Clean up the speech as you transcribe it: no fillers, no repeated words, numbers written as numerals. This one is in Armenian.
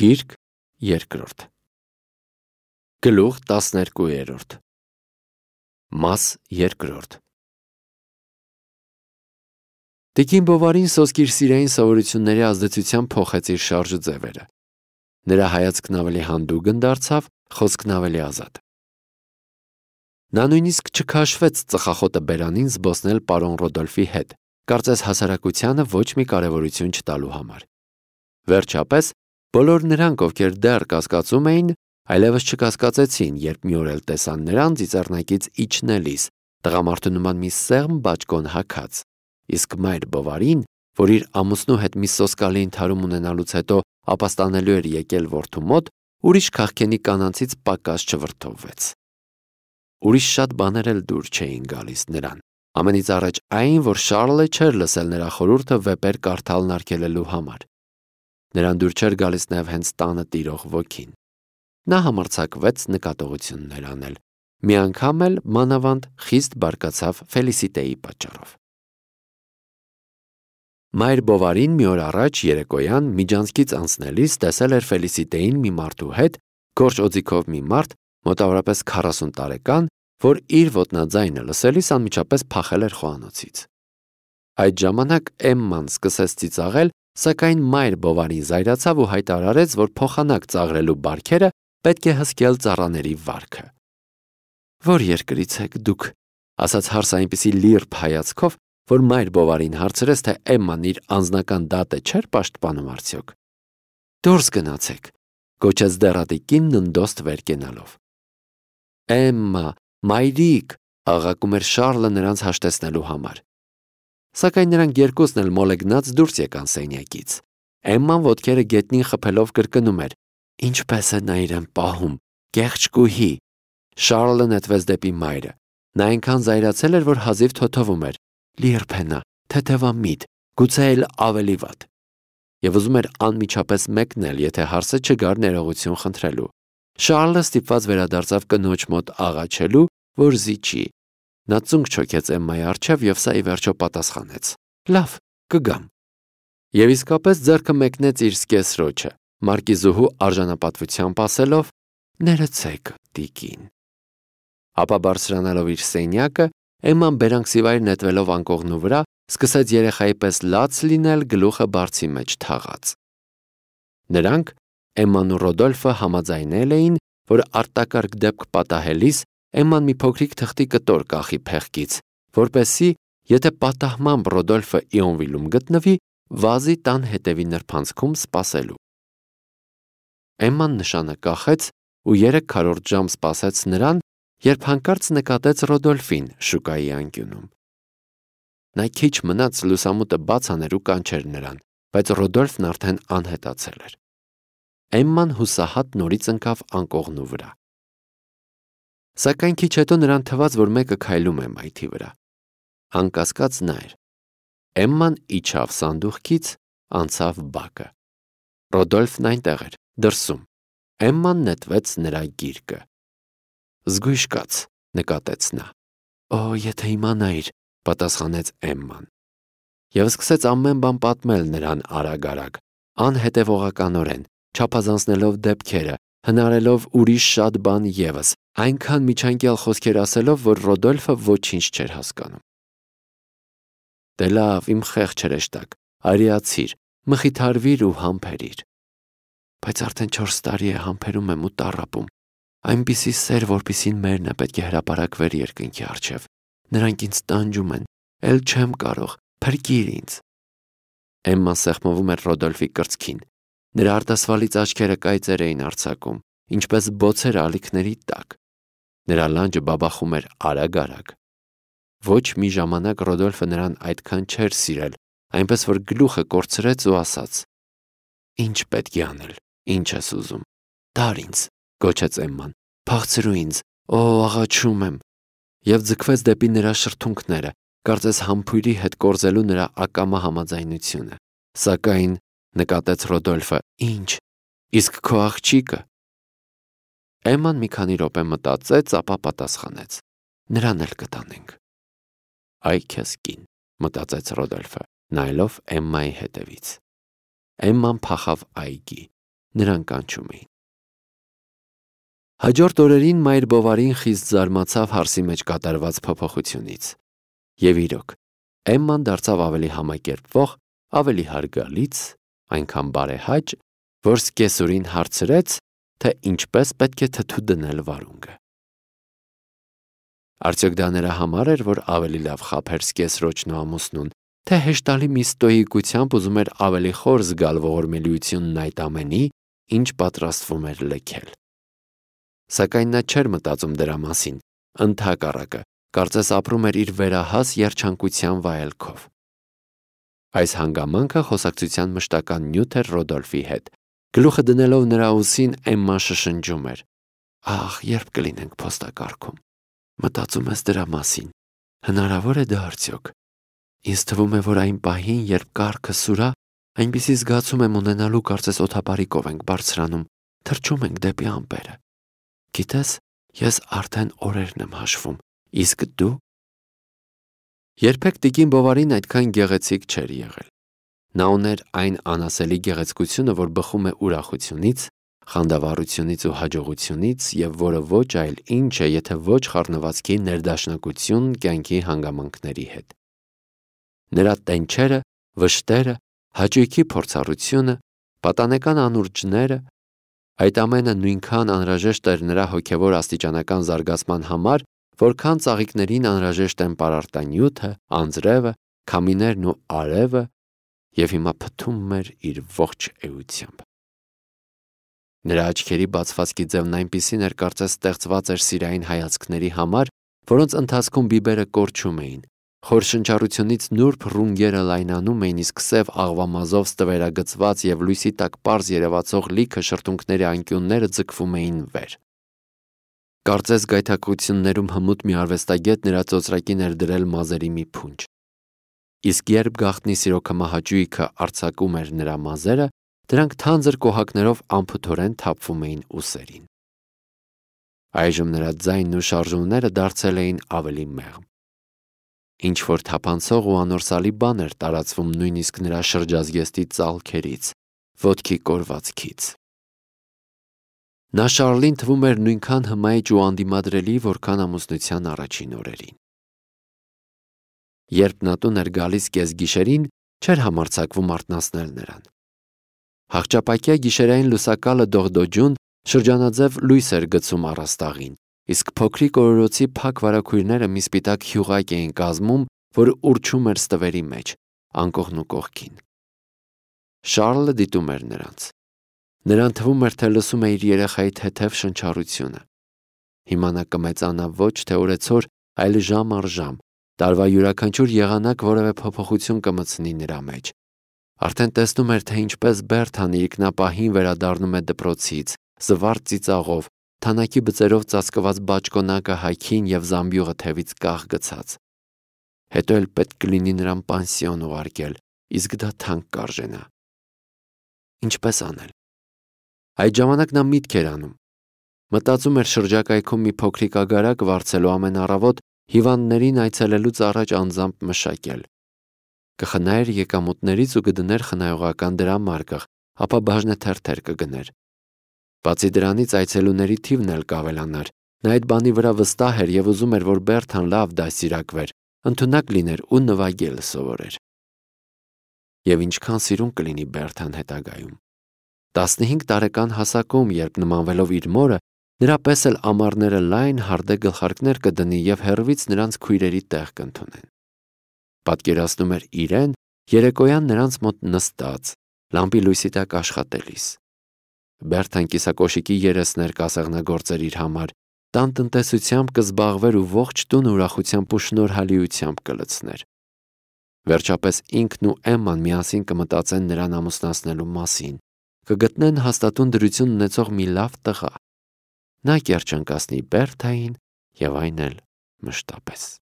Գիրք երկրորդ Գլուխ 12 Մաս երկրորդ Տիկին Բովարին սոսկ իր սիրային սովորությունների ազդեցությամբ փոխեց իր շարժուձևերը։ Նրա հայացքն ավելի հանդուգն դարձավ, խոսքն ավելի ազատ։ Նա նույնիսկ չքաշվեց ծխախոտը բերանին զբոսնել պարոն Ռոդոլֆի հետ, կարծես հասարակությանը ոչ մի կարևորություն չտալու համար։ Վերջապես, բոլոր նրանք, ովքեր դեռ կասկածում էին, այլևս չկասկածեցին, երբ մի օր էլ տեսան նրան ծիծեռնակից իջնելիս, տղամարդու նման մի սեղմ բաճկոն հագած, իսկ մայր Բովարին, որ իր ամուսնու հետ մի սոսկալի ընդհարում ունենալուց հետո ապաստանելու էր եկել որդու մոտ, ուրիշ քաղքենի կանանցից պակաս չվրդովվեց։ Ուրիշ շատ բաներ էլ դուր չէին գալիս նրան, ամենից առաջ այն, որ Շարլը չէր լսել նրա խորհուրդը վեպեր կարդալն արգելելու համար։ Նրան դուր չէր գալիս նաև հենց տանը տիրող ոգին։ Նա համարձակվեց նկատողություններ անել, մի անգամ էլ մանավանդ խիստ բարկացավ Ֆելիսիտեի պատճառով։ Մայր Բովարին մի օր առաջ երեկոյան միջանցքից անցնելիս տեսել էր Ֆելիսիտեին մի մարդու հետ, գորշ օձիքով մի մարդ, մոտավորապես 40 տարեկան, որ իր ոտնաձայնը լսելիս անմիջապես փախել էր խոհանոցից։ Այդ ժամանակ Էմման սկսեց ծիծաղել, սակայն մայր Բովարին զայրացավ ու հայտարարեց, որ փոխանակ ծաղրելու բարքերը պետք է հսկել ծառաների վարքը։ «Որ երկրից եք դուք», ասաց հարսը այնպիսի լիրբ հայացքով, որ մայր Բովարին հարցրեց, թե Էմման իր անձնական դատը չէր պաշտպանում արդյոք։ «Դուրս գնացեք», գոչեց դեռատիկին ննդոստ վեր կենալով։ «Էմմա, մայրիկ», աղաղակում էր Շարլը նրանց հաշտեցնելու համար։ Սակայն նրանք երկուսն էլ մոլեգնած դուրս եկան սենյակից։ Էմման ոտքերը գետնին խփելով կրկնում էր. «Ինչպես է նա իրեն պահում, կեղճկուհի»։ Շարլը նետվեց դեպի մայրը։ Նա այնքան զայրացել էր, որ հազիվ թոթովում էր։ Լիրբ է նա, թեթևամիտ, գուցե էլ ավելի վատ։ Եվ ուզում էր անմիջապես մեկնել, եթե հարսը չգար ներողություն խնդրելու։ Շարլը ստիպված վերադարձավ կնոջ մոտ աղաչելու, որ զիջի։ Նա ծունկ չոքեց Էմմայի առջև և սա ի վերջո պատասխանեց. «Լավ, կգամ»։ Եվ իսկապես ձեռքը մեկնեց իր սկեսրոջը, մարկիզուհու արժանապատվությամբ ասելով. «Ներեցեք, տիկին»։ Ապա բարձրանալով իր սենյակը, Էմման բերանքսիվայր նետվելով անկողնու վրա, սկսեց երեխայի պես լաց լինել, գլուխը բարձի մեջ թաղած։ Նրանք, Էմման ու Ռոդոլֆը, համաձայնել էին, որ արտակարգ դեպք պատահելիս Էմման մի փոքրիկ թղթի կտոր կախի փեղկից, որպեսզի, եթե պատահմամբ Ռոդոլֆը Իոնվիլում գտնվի, վազի տան հետևի նրբանցքում սպասելու։ Էմման նշանը կախեց ու 3/4 ժամ սպասեց նրան, երբ հանկարծ նկատեց Ռոդոլֆին շուկայի անկյունում։ Նա քիչ մնաց լուսամուտը բաց աներ ու կանչեր նրան, բայց Ռոդոլֆն արդեն անհետացել էր։ Էմման հուսահատ նորից ընկավ անկողնու վրա։ Սակայն քիչ հետո նրան թվաց, որ մեկը քայլում է մայթի վրա։ Անկասկած նա էր։ Էմման իջավ սանդուղքից, անցավ բակը։ Ռոդոլֆն այնտեղ էր, դրսում։ Էմման նետվեց նրա գիրկը։ «Զգույշ կաց», նկատեց նա։ «Օ, եթե իմանայիր», պատասխանեց Էմման։ Եվ սկսեց ամեն բան պատմել նրան արագ, անհետևողականորեն, չափազանցնելով դեպքերը, հնարելով ուրիշ շատ բան ևս, այնքան միջանկյալ խոսքեր ասելով, որ Ռոդոլֆը ոչինչ չէր հասկանում։ «Դե լավ, իմ խեղճ հրեշտակ, արիացիր, մխիթարվիր ու համբերիր»։ «Բայց արդեն 4 տարի է համբերում եմ ու տառապում, այնպիսի սեր, որպիսին մերն է, պետք է հրապարակվեր երկնքի առջև։ Նրանք ինձ տանջում են, էլ չեմ կարող, փրկիր ինձ»։ Էմման սեղմվում էր Ռոդոլֆի կրծքին։ Նրա արտասվալից աչքերը կայծեր էին արձակում, ինչպես բոցեր ալիքների տակ։ Նրա լանջը բաբախում էր արագ։ Ոչ մի ժամանակ Ռոդոլֆը նրան այդքան չէր սիրել, այնպես որ գլուխը կորցրեց ու ասաց. «Ինչ պետք է անել, ինչ ես ուզում, տար ինձ», գոչեց Էմման, «փախցրու ինձ, օ, աղաչում եմ», և ձգվեց դեպի նրա շրթունքները, կարծես համբույրի հետ կորզելու նրա ակամա համաձայնությունը։ Սակայն նկատեց Ռոդոլֆը. «Ինչ, իսկ քո աղջիկը»։ Էմման մի քանի րոպե մտածեց, ապա պատասխանեց. «Նրան էլ կտանենք»։ «Այ քեզ կին», մտածեց Ռոդոլֆը, նայելով Էմմայի հետևից։ Էմման փախավ այգի։ նրան կանչում էին։ Հաջորդ օրերին Մայր Բովարին խիստ զարմացավ հարսի մեջ կատարված փոփոխությունից։ Եվ իրոք, Էմման դարձավ ավելի համակերպվող, ավելի հարգալից, այնքան բարեհաճ, որ սկեսուրին հարցրեց, թե ինչպես պետք է թթու դնել վարունգը։ Արդյոք դա նրա համար էր, որ ավելի լավ խաբեր սկեսրոջն ու ամուսնուն, թե հեշտալի մի ստոյիկությամբ ուզում էր ավելի խոր զգալ ողորմելիությունն այդ ամենի, ինչ պատրաստվում էր լքել։ Սակայն նա չէր մտածում դրա մասին, ընդհակառակը, կարծես ապրում էր իր վերահաս երջանկության վայելքով։ Այս հանգամանքը խոսակցության մշտական նյութ էր Ռոդոլֆի հետ։ Գլուխը դնելով նրա ուսին Էմման շշնջում էր. «Ահ, երբ կլինենք փոստակարգում։ Մտածում ես դրա մասին։ Հնարավոր է դա արդյոք։ Ինձ թվում է, որ այն պահին, երբ կառքը սուրա, այնպիսի զգացում եմ ունենալու, կարծես օդապարիկով ենք բարձրանում, թռչում ենք դեպի ամպերը։ Գիտես, ես արդեն օրերն եմ հաշվում, իսկ դու»։ Երբեք տիկին Բովարին այդքան գեղեցիկ չէր եղել։ Նա ուներ այն անասելի գեղեցկությունը, որ բխում է ուրախությունից, խանդավառությունից ու հաջողությունից և որը ոչ այլ ինչ է, եթե ոչ խառնվածքի ներդաշնակություն կյանքի հանգամանքների հետ։ Նրա տենչերը, վշտերը, հաճույքի փորձառությունը, պատանեկան անուրջները, այդ ամենը նույնքան անհրաժեշտ էր նրա հոգևոր աստիճանական զարգացման համար, որքան ծաղիկներին անհրաժեշտ են պարարտանյութը, անձրևը, քամիներն ու արևը, և հիմա փթում էր իր ողջ էությամբ։ Նրա աչքերի բացվածքի ձևն այնպիսին էր, կարծես ստեղծված էր սիրային հայացքների համար, որոնց ընթացքում բիբերը կորչում էին, խոր շնչառությունից նուրբ ռունգերը լայնանում էին, իսկ սև աղվամազով ստվերագծված և լույսի տակ պարզ երևացող լիքը շրթունքների անկյունները ձգվում էին վեր։ Կարծես գայթակղություններում հմուտ մի արվեստագետ նրա ծոծրակին էր դրել մազերի մի փունջ։ Իսկ երբ գաղտնի սիրո քմահաճույքը արձակում էր նրա մազերը, դրանք թանձր կոհակներով անփութորեն թափվում էին ուսերին։ Այժմ նրա ձայնն ու շարժումները դարձել էին ավելի մեղմ։ Ինչ-որ թափանցող ու անորսալի բան էր տարածվում նույնիսկ նրա շրջազգեստի ծալքերից, ոտքի կորվածքից։ Նա Շարլին թվում էր նույնքան հմայիչ ու անդիմադրելի, որքան ամուսնության առաջին օրերին։ Երբ նա տուն էր գալիս կեսգիշերին, չէր համարձակվում արթնացնել նրան։ Հաղճապակյա գիշերային լուսակալը դողդոջուն շրջանաձև լույս էր գցում առաստաղին, իսկ փոքրիկ օրորոցի փակ վարագույրները մի սպիտակ հյուղակ էին կազմում, որ ուռչում էր ստվերի մեջ, անկողն ու կողքին։ Շարլը դիտում էր նրանց։ Նրան թվում էր, թե լսում է իր երեխայի թեթև շնչառությունը։ Հիմա նա կմեծանա ոչ թե օրեցօր, այլ ժամ առ ժամ, տարվա յուրաքանչյուր եղանակ որևէ փոփոխություն կմտցնի նրա մեջ։ Արդեն տեսնում էր, թե ինչպես Բերթան իրիկնապահին վերադառնում է դպրոցից, զվարթ ծիծաղով, թանաքի բծերով ծածկված բաճկոնակը հայքին և զամբյուղը թևից կախ գցած։ Հետո էլ պետք կլինի նրան պանսիոն ուղարկել, իսկ դա թանկ կարժենա։ Ինչպես անել։ Այդ ժամանակ նա միտք էր անում։ Մտածում էր շրջակայքում մի փոքրիկ ագարակ վարձելու ամեն առավոտ հիվանդներին այցելելուց առաջ անձամբ մշակել։ Կխնայր եկամուտներից ու կդներ խնայողական դրամարկղ, ապա բաժնեթերթեր կգներ։ Բացի դրանից այցելուների թիվն էլ կավելանար։ Նա այդ բանի վրա վստահ էր և ուզում էր, որ Բերթան լավ դաստիարակվեր, ընդունակ լիներ ու նվագել սովորեր։ Եվ ինչքան սիրուն կլինի Բերթան հետագայում։ 15 տարեկան հասակում, երբ նմանվելով իր մորը, նրա պես էլ ամառները լայն հարդե գլխարկներ կդնի և հեռվից նրանց քույրերի տեղ կընդունեն։ Պատկերացնում էր իրեն երեկոյան նրանց մոտ նստած, լամպի լույսի տակ աշխատելիս։ Բերթան կիսակոշիկի երեսներ կասեղնագործեր իր համար, տան տնտեսությամբ կզբաղվեր ու ողջ տունը ուրախությամբ ու շնորհալիությամբ կլցներ։ Վերջապես ինքն ու Էմման միասին կմտածեն նրան ամուսնացնելու մասին, կգտնեն հաստատուն դրություն ունեցող մի լավ տղա։ Նա կերջանկացնի Բերթային և այն էլ մշտապես։